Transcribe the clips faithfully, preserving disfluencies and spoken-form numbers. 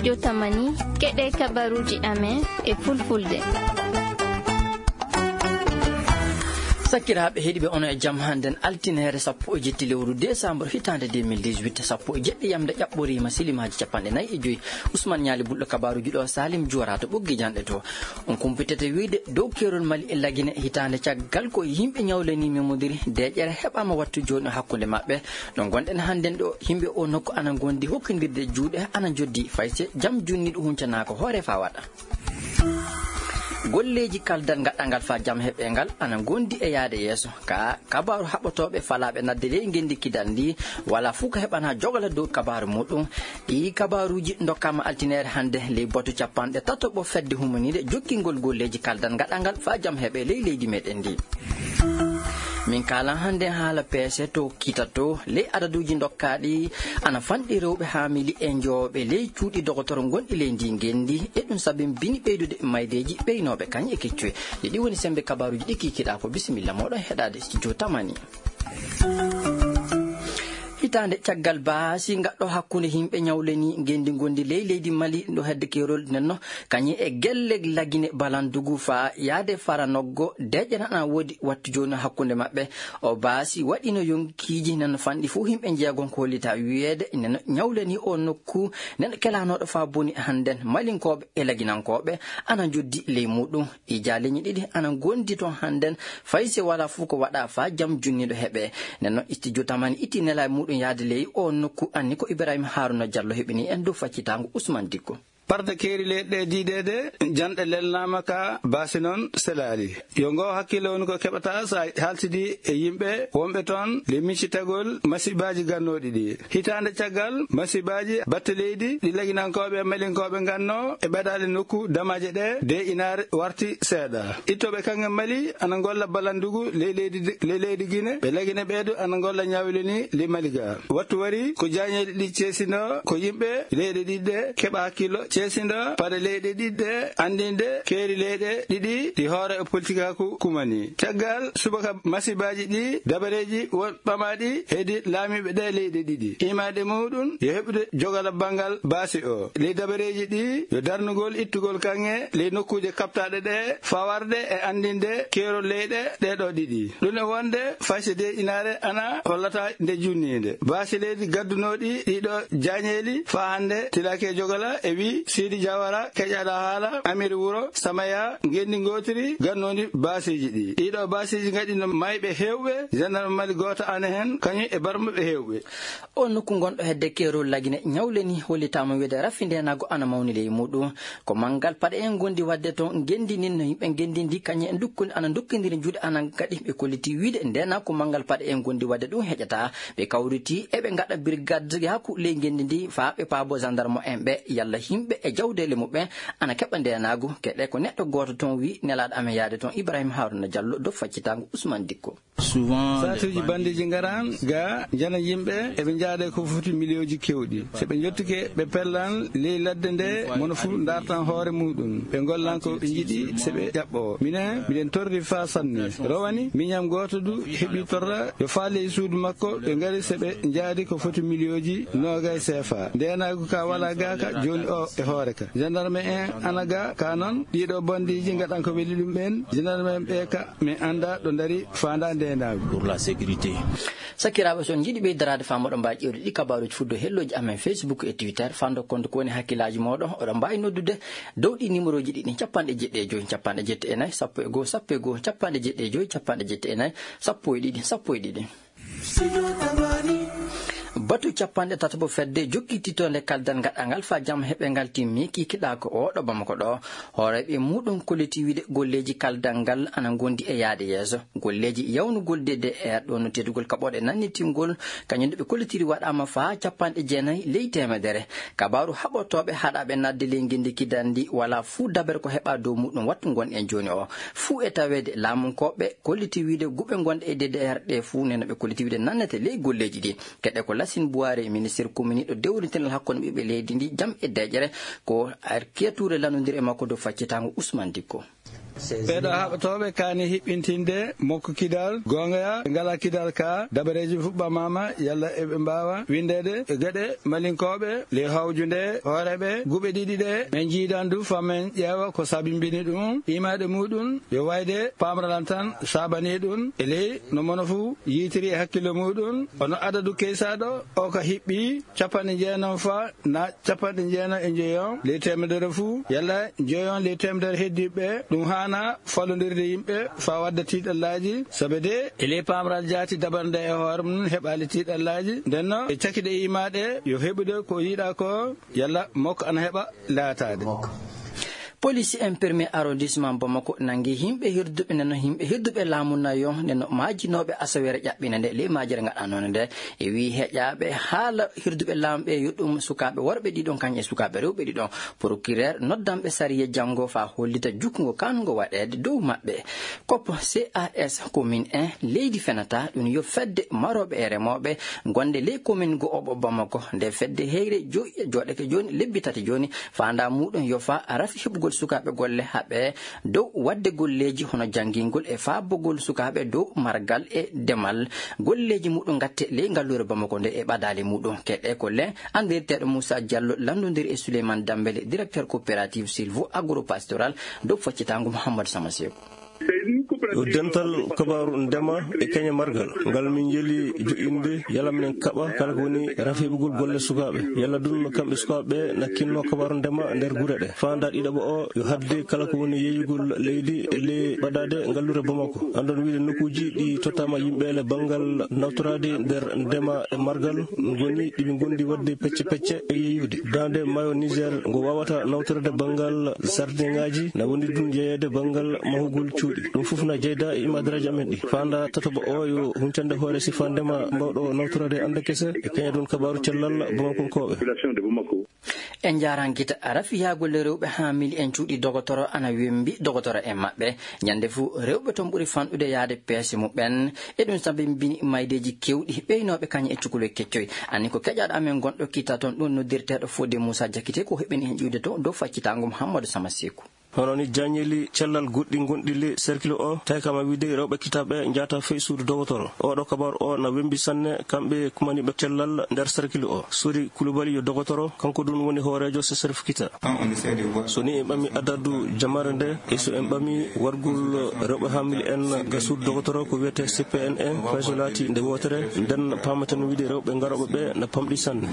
Jotamani, keɗee kabaruuji amen e fulfulde. Sakiraaɓe heɗiiɓe, onon e jam hannden altineere sappo e jetti lewru desambar hitaande deux mille dix-huit, sappo e jeɗɗi yamnde ƴaɓɓoriima, silimaaji cappanɗe nayi e joy. Usman Ñaali Bulɗo kabaaruuji ɗo, Salim Juwara to ɓoggi janɗe to. On kumpitete wiide dow keerol Mali e Lagine hitaande caggal ko yimɓe ñawlanii memodiri deeƴere heɓaama wattu jooni hakkunde maɓɓe. Ɗo ngonɗen hannden ɗo, yimɓe oo nokku ana ngondi hokkindirde juuɗe, ana njoddi fay se jam junniiɗo huncanaaka hoore faa waɗa. Golleeji kaldal ngaɗangal faa jam heɓee ngal ana ngondi e yaade yeeso. Ka kabaaru haɓotooɓe falaaɓe nadde ley ngenndi kidal ndi, walaa fuu ko heɓanaa jogala dow kabaaru muuɗum. Ɗii kabaaruuji ndokkaama altineere hannde ley batu cappanɗe tataɓo fedde humaniinde jokkingol golleeji kaldal ngaɗangal faa jam heɓee ley leydi meɗen ndi. Min kaalan hannde haala peese to kitatoo ley adaduuji ndokkaaɗi ana fanɗi rewɓe haamili e njooɓe ley cuuɗi dogotoro ngonɗi ley ndii ngenndi. E ɗum sabin bini ɓeydude maydeeji ɓeynooɓe kañ e keccoy. Ɗi ɗi woni semmbe kabaaruuji ɗi kikiɗaa ko. Bisimilla mooɗon heɗaade studio tamani. Hitaande caggal baasi ngaɗɗo hakkunde yimɓe ñawleni ngenndi ngondi ley leydi Mali ɗo hedde keerol nenno kañum e gelle Lagine Balandugu faa yaade Faranoggo, deeƴere ana woodi wattu jooni hakkunde maɓɓe. O baasi waɗino yonkiiji nenno fanɗi fuu yimɓe njeegon ko hollitaa wiyeede nenno ñawleni o nokku nenno kelaanooɗo faa boni hannden Malinkooɓe e Laginankooɓe ana njoddi ley muuɗum. Ɗii jaaleeji ɗiɗi ana ngondi toon hannden, fay si walaa fuu ko waɗaa faa jam junniiɗo heɓee. Nden non, studio tamani itti nelaaɓe muuɗum yaade ley oo nokku, anni ko Ibrahima Haruna Jallo heɓini en dow faccitaango Usman Dikko. Parde keeri leyɗe ɗe diideede, janɗe lelnaama ka baasi noon selaali. Yo ngoo hakkille woni ko keɓataa so a haaltidii e yimɓe wonɓe toon ley miccitagol masibaaji gannooɗi ɗi. Hitaande caggal masibaaji batte leydi ɗi Laginankooɓe e Malinkooɓe ngannoo e ɓadaade nokku damaaje ɗe, de inaare warti seeɗa. Ittooɓe kaŋŋe Mali ana ngolla Balandugu ley leydi, ley leydi Gine, ɓe Lagine ɓee du ana ngolla ñawlini ley Mali ga. Wattu wari ko jaañeeli ɗi ceesindoo ko yimɓe leyɗe ɗiɗi ɗe keɓa hakkillo ceesindoo paɗe leyɗe ɗiɗi ɗe anndinde keeri leyɗe ɗiɗi ɗi hoore e politikaaku kumani. Caggal subaka masibaaji ɗi, dabareeji won ɓamaaɗi hedi laamiiɓe ɗee leyɗe ɗiɗi. Imaade muuɗum yo heɓude jogala banngal baasi o. Ley dabareeji ɗi yo darnugol ittugol kaŋŋe ley nokkuuje kaɓtaaɗe ɗee, fawarde e anndinde keerol leyɗe ɗee ɗoo ɗiɗi. Ɗum e wonde fayse de inaare ana hollata nde junniinde. Baasi leydi gaddunooɗi ɗii ɗoo jaañeeli faa hannde tilaaki e jogala e wii Siidi Jawara keƴaaɗo haala Amiri Wuro Samaya ngenndi ngootiri gannoondi baasiiji ɗii. Ɗii ɗoo baasiiji ngaɗino mayɓe heewɓe, jandarma Mali gooto ana hen, kañum e barmuɓe heewɓe. Oo nokku ngonɗo hedde keerol Lagine ñawleni hollitaama wiyeede rafi ndeenaagu ana mawni ley muuɗum. Ko manngal paɗe en ngondi waɗde toon ngenndi ndin no yimɓe ngenndi ndi kañum en ndukkude ana ndokkindiri juuɗe ana ngaɗi ɓe kolliti wiide ndeenaagu ko manngal paɗe en ngondi waɗde ɗum heƴataa. Ɓe kawriti eɓe ngaɗa birgadeyaaku ley ngenndi ndi faa ɓe paaboo jandarma en ɓe yalla yimɓe e jawdeele muɓɓen ana keɓa ndeenaagu. Keɗee ko neɗɗo gooto toon wii nelaaɗo amen yaade toon Ibrahima Haruna Jallo dow faccitaango Usman Dikko. Saatuuji banndiiji ngaran ga njana yimɓe eɓe njaade ko foti miliyooji kewɗi. So ɓe njottike ɓe pellan ley ladde nde mono fuu ndaartan hoore muuɗum. Ɓe ngollan ko ɓe njiɗi so ɓe ƴaɓɓoo. Minen miɗen torri faa sanne. Rowani miñam gooto du heɓi torra yo faa ley suudu makko ɓe ngari so ɓe njaadi ko foti miliyooji noogay seefa. Ndeenaagu ka walaa ga ka jooni o e hoore ka. Jandarme en ana ga ka noon ɗii ɗoo banndiiji ngaɗan ko weli ɗum ɓeen. Jandarme en ɓee ka min anndaa ɗo ndari faandaa ndeenaagu. Pour la sécurité. Sakiraaɓe, so on njiɗi ɓeydaraade faa moɗon mbaawi ƴeewde ɗii kabaaruuji fuu dow hellooji amen Facebook e Twitter. Faa ndokkon ko woni hakkillaaji mooɗon, oɗon mbaawi noddude dow ɗii nimerooji ɗiɗi, cappanɗe jeɗɗi e joy, cappanɗe jetti e nayi, sappo e goo, sappo e goo, cappanɗe jeɗɗi e joy, cappanɗe jetti e nayi, sappo e ɗiɗi, sappo e ɗiɗi. Batu cappanɗe tataɓo fedde jokkititoonde kaldal ngaɗangal faa jam heɓe ngal timmi kikiɗaa ko oo ɗo Bamako ɗo. Hooreeɓe muuɗum kolliti wiide golleeji kaldal ngal ana ngondi e yaade yeeso. Golleeji yawnugol D D R ɗo no teddugol kaɓooɗe nannitingol, kañum ɗo ɓe kollitiri waɗaama faa cappanɗe jeenayi ley teemedere. Kabaaru haɓotooɓe haɗaaɓe naatde ley ngenndi kidal ndi walaa fuu dabere ko heɓaa dow muuɗum wattu ngon en jooni o. Fuu e taweede laamunkooɓe kolliti wiide guɓe ngonɗe e D D R ɗe fuu nena ɓe kolliti wiide nannete ley golleeji ɗi. Keɗe ko Lasin Buwaare, ministir kominiiɗo dewritinal hakkunde ɓiɓɓe leydi ndi jam e deeƴere, ko arkiya tuure lanndondiri e makko dow faccitaango Usman Dikko. Ɓee ɗoo haɓotooɓe kaani hiɓɓintinde mokko kidal goonga, ɓe ngalaa kidal ka dabareeji fuɓɓamaama yalla eɓe mbaawa winndeede e geɗe malinkooɓe ley hawju nde hooreeɓe guɓe ɗiɗi ɗe. Men njiidan du faa men ƴeewa ko sabinbini ɗum, imaade muuɗum yo wayde paamralan tan saabanii ɗum e ley no mono fuu yiitiri e hakkillo muuɗum. Ono adadu keysaaɗo o ka hiɓɓi capanɗe jeenom faa na capanɗe jeenom e njoyon ley teemedere fuu, yalla njoyon ley teemedere heddiiɓe, ɗum haanaa fallondirde yimɓe faa wadda tiiɗallaaji. Sabe de e ley paamral jaati dabarnde e hoore mum heɓaali tiiɗallaaji. Nden non e cakiɗe iimaaɗe yo heɓude ko yiɗaa ko, yalla mokko ana heɓa laataade. Police en premier arrondissement Bamako nangi yimɓe hirduɓe neno yimɓe hirduɓe laamu nayo neno maajinooɓe asawere ƴaɓɓina nde ley maajere ngaɗanoo nde. E wii heƴaaɓe haala hirduɓe laamu ɓe yo ɗum sukaaɓe worɓe ɗiɗon kañum e sukaaɓe rewɓe ɗiɗon. Procureur noddanɓe sariya janngo faa hollita jukkungo kaanungo waɗeede dow maɓɓe. Koppo cas commune en leydi fenata ɗum yo fedde marooɓe e remooɓe gonde ley commune go'oɓo Bamako. Nde fedde heyre jo- jooɗake jooni lebbi tati jooni. Faandaa muuɗum yo faa rafi heɓugol sukaaɓe golle haɓe dow waɗde golleeji hono janngingol e faabugol sukaaɓe dow margal e demal. Golleeji muuɗum ngatte ley ngalluure Bamako nde e ɓadaali muuɗum keɗe ko len anndirteeɗo Moussa Diallo lanndondiri e Souleymane Dambele directeur coopérative Silvo Agro Pastoral dow faccitaango Mouhamadou Samaseeku. Yo dental kabaaru ndema e keñe margal ngal min njeli joƴƴinde yalla minen kaɓa kala ko woni rafi heɓugol golle sukaaɓe yalla dun kamɓe sukaaɓe ɓe na kinno kabaaru ndema nder gure ɗe. Faandaa ɗiɗaɓo o yo hadde kala ko woni yeeyugol leydi e ley ɓadaade ngalluure Bamako. Anndon wiide nokkuuji ɗi tottaama yimɓe le banngal nawtoraade nder ndema e margal ngoni ɗiɓi ngondi waɗde pecce pecce e yeeyude daande maayo Niger ngo waawata nawtorede banngal sardiŋaaji na woni dun yeeyeede banngal mahugol cuuɗi. Ɗum fof na jeyda e imaadaraaji amen ɗi. Faandaa tataɓo o yo huncande hoore sifaa ndema mbawɗo nawtorade annde kese e kañe ɗum kabaaru cellal Bamakonkooɓe. En njaarankita rafi yaagol rewɓe haa mili en cuuɗi dogotoro ana wembi dogotoro en maɓɓe. Ñande fuu rewɓe ton ɓuri fanɗude yaade peese muɓɓen. E ɗum sabinbini maydeeji kewɗi ɓeynooɓe kañe e cukalel keccoy. Anni ko keƴaaɗo amen gonɗo kitta ton ɗum noddirteeɗo Fodé Moussa Diakité ko heɓini heen ƴiwde to dow faccitaango Mouhamadou Sama Seeku. Hono ni jaañeli cellal goɗɗi ngonɗi ley serkil o, tawi kam a wiide rewɓe kitaaɓe njaata fey suudu dogotoro. Oɗo kabaru o na wembi sanne kamɓe kumaniiɓe cellal nder serkil o. Sori Kulubali yo dogotoro, kanko dun woni hooreejo C S R F kita. So ni en ɓami adadu jamaare nde, e so en ɓami wargol rewɓe haa mil en ga suudu dogotoro ko wiyetee C P N en, fay so laati nde wootere, nden paamaten wiide rewɓe garooɓe ɓe na pamɗi sanne.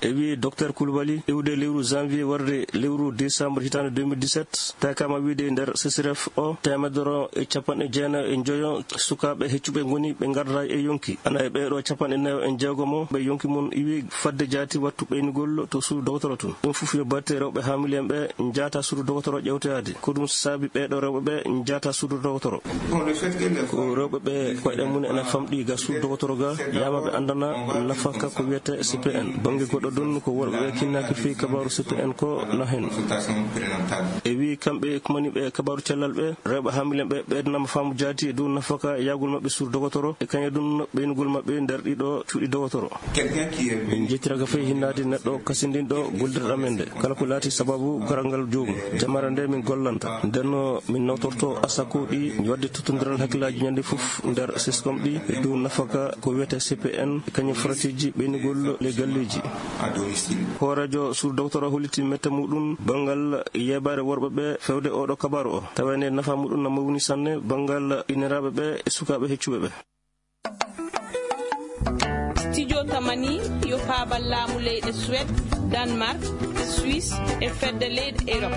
E wii Docteur Kulubali, iwde lewru janvier warde lewru décembre hitaande deux mille dix-sept, tawi kam a wiide nder C S R F o, teemedere e capanɗe jeenayi e njoyo sukaaɓe heccuɓe ngoni ɓe ngardaay e yonki. Ana e ɓee ɗoo capanɗe nayo e jeegomo ɓe yonki mun iwi fadde jaati wattu ɓeynugol to suudu dogotoro tun. Ɗum fof yo batte rewɓe haamiliyen ɓe njaata suudu dogotoro ƴewtoyaade. Ko ɗum saabi ɓee ɗoo rewɓe ɓe njaata suudu dogotoro. Ko rewɓe ɓe koyɗe mun ena famɗi ga suudu dogotoro ga, yama ɓe anndana nafaka ko wiyetee C P N. Bannge goɗɗo ɗun ko worɓe ɓe kinnaaki fii kabaaru C P N ko na hen. E wii kamɓe kumaniiɓe kabaaru cellal ɓe, rewɓe haamiliyen ɓe ɓeydanaama faamu jaati e dow nafaka yahgol maɓɓe suudu dogotoro e kañe ɗun ɓeynugol maɓɓe nder ɗiɗo cuuɗi dogotoro. Min njettira ka fay hinnaade neɗɗo kasindinɗo gollirɗo amen nde. Kala ko laati sababu garal ngal joomum, jamaare nde min gollanta. Nden no min nawtorto asako ɗi, wadde tottondiral hakkillaaji ñande fof nder seskom ɗi e dow nafaka ko wiyetee C P N, kañum faratiiji ɓeynugol ley galleeji. Hooreejo suudu dogotoro holliti mette muɗum banngal yeebaare worɓe ɓe fewde oɗo kabaaru o. Tawee nde nafa muɗum na mawni sanne banngal inniraaɓe ɓe e sukaaɓe heccuɓe ɓe. Studio Tamani yo faabal laamu leyɗe Suwed, Danmark, Suisse e fedde leyɗe Erop.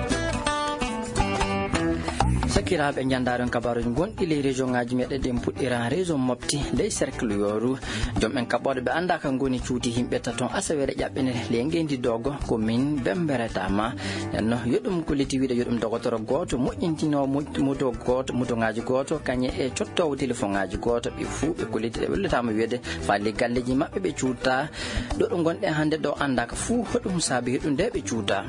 Sakiraaɓe, njanndaaren kabaaruuji gonɗi ley région ŋaaji meɗen ɗin. Puɗɗiran région Mopti ley cercle yooru. Joom en kaɓɓooɗe ɓe anndaa ka ngoni cuuti yimɓe taton asawere ƴaɓɓinere ley ngeenndi Doogo, commune Bemmbere Tama. Nden no yo ɗum kolliti wiide yo ɗum dogotoro gooto moƴƴintinoowo mo- moto gooto, motoŋaaji gooto, kañe e cottoowo telefoŋaaji gooto. Ɓe fuu ɓe kolliti ɓe wellitaama wiyeede faa ley galleeji maɓɓe ɓe cuuta. Ɗo ɗo ngonɗen hannde ɗo anndaaka fuu hoɗum saabi heɗum nde ɓe cuuta.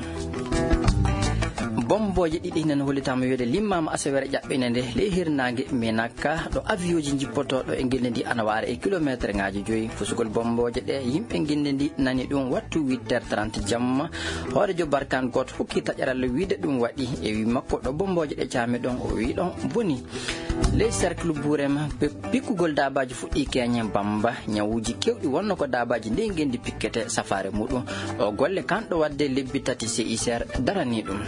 Bom- Bombooje ɗiɗi nana hollitaama wiyeede limmaama asaweere ƴaɓɓiinde nde ley hirnaange Minaka, ɗo avion ji njippotooɗo e ngilli ndii ana waara e kilomeeterŋaaji joyi. Fusugol bombooje ɗee, yimɓe ngilli ndii nani ɗum wattu huit heures trente jamma. Hooreejo Barkaan gooto hokki taƴaral wiide ɗum waɗi. E wii makko, ɗo bombooje ɗee caami ɗon, o wii ɗon boni. Ley cercle Burema, pe-, pikkugol daabaaji fuɗɗii keñe Bamba. Ñawuuji keewɗi wonno ko daabaaji ndey ngenndi pikkete safaare muɗum. Oo golle kanɗo waɗde lebbi tati C I C R daranii ɗum.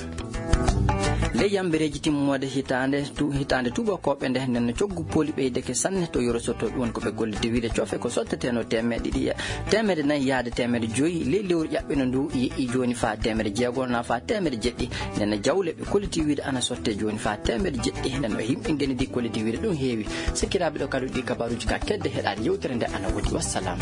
Ley yambereeji timmoode hitaande tu-, hitaande tuubakooɓe nde, nden no coggu pooli ɓeydeke sanne to Wuro Sotto, ɗum woni ko ɓe gollidi wiide coofe ko sotteteno teemeɗɗe ɗiɗi e teemeɗɗe nayi yaade teemeɗɗe joyi. Ley lewru ƴaɓɓino ndu yeƴƴi jooni faa teemeɗɗe jeego na faa teemeɗɗe jeɗɗi. Nden no jawle ɓe kolliti wiide ana sotte jooni faa teemeɗɗe jeɗɗi. Nden no yimɓe ngenndi kolliti wiide ɗum heewi. Sakiraaɓe, ɗo kadi ɗi kabaaruuji ka kedde heɗaade yewtere nde ana woodi. Wassalam.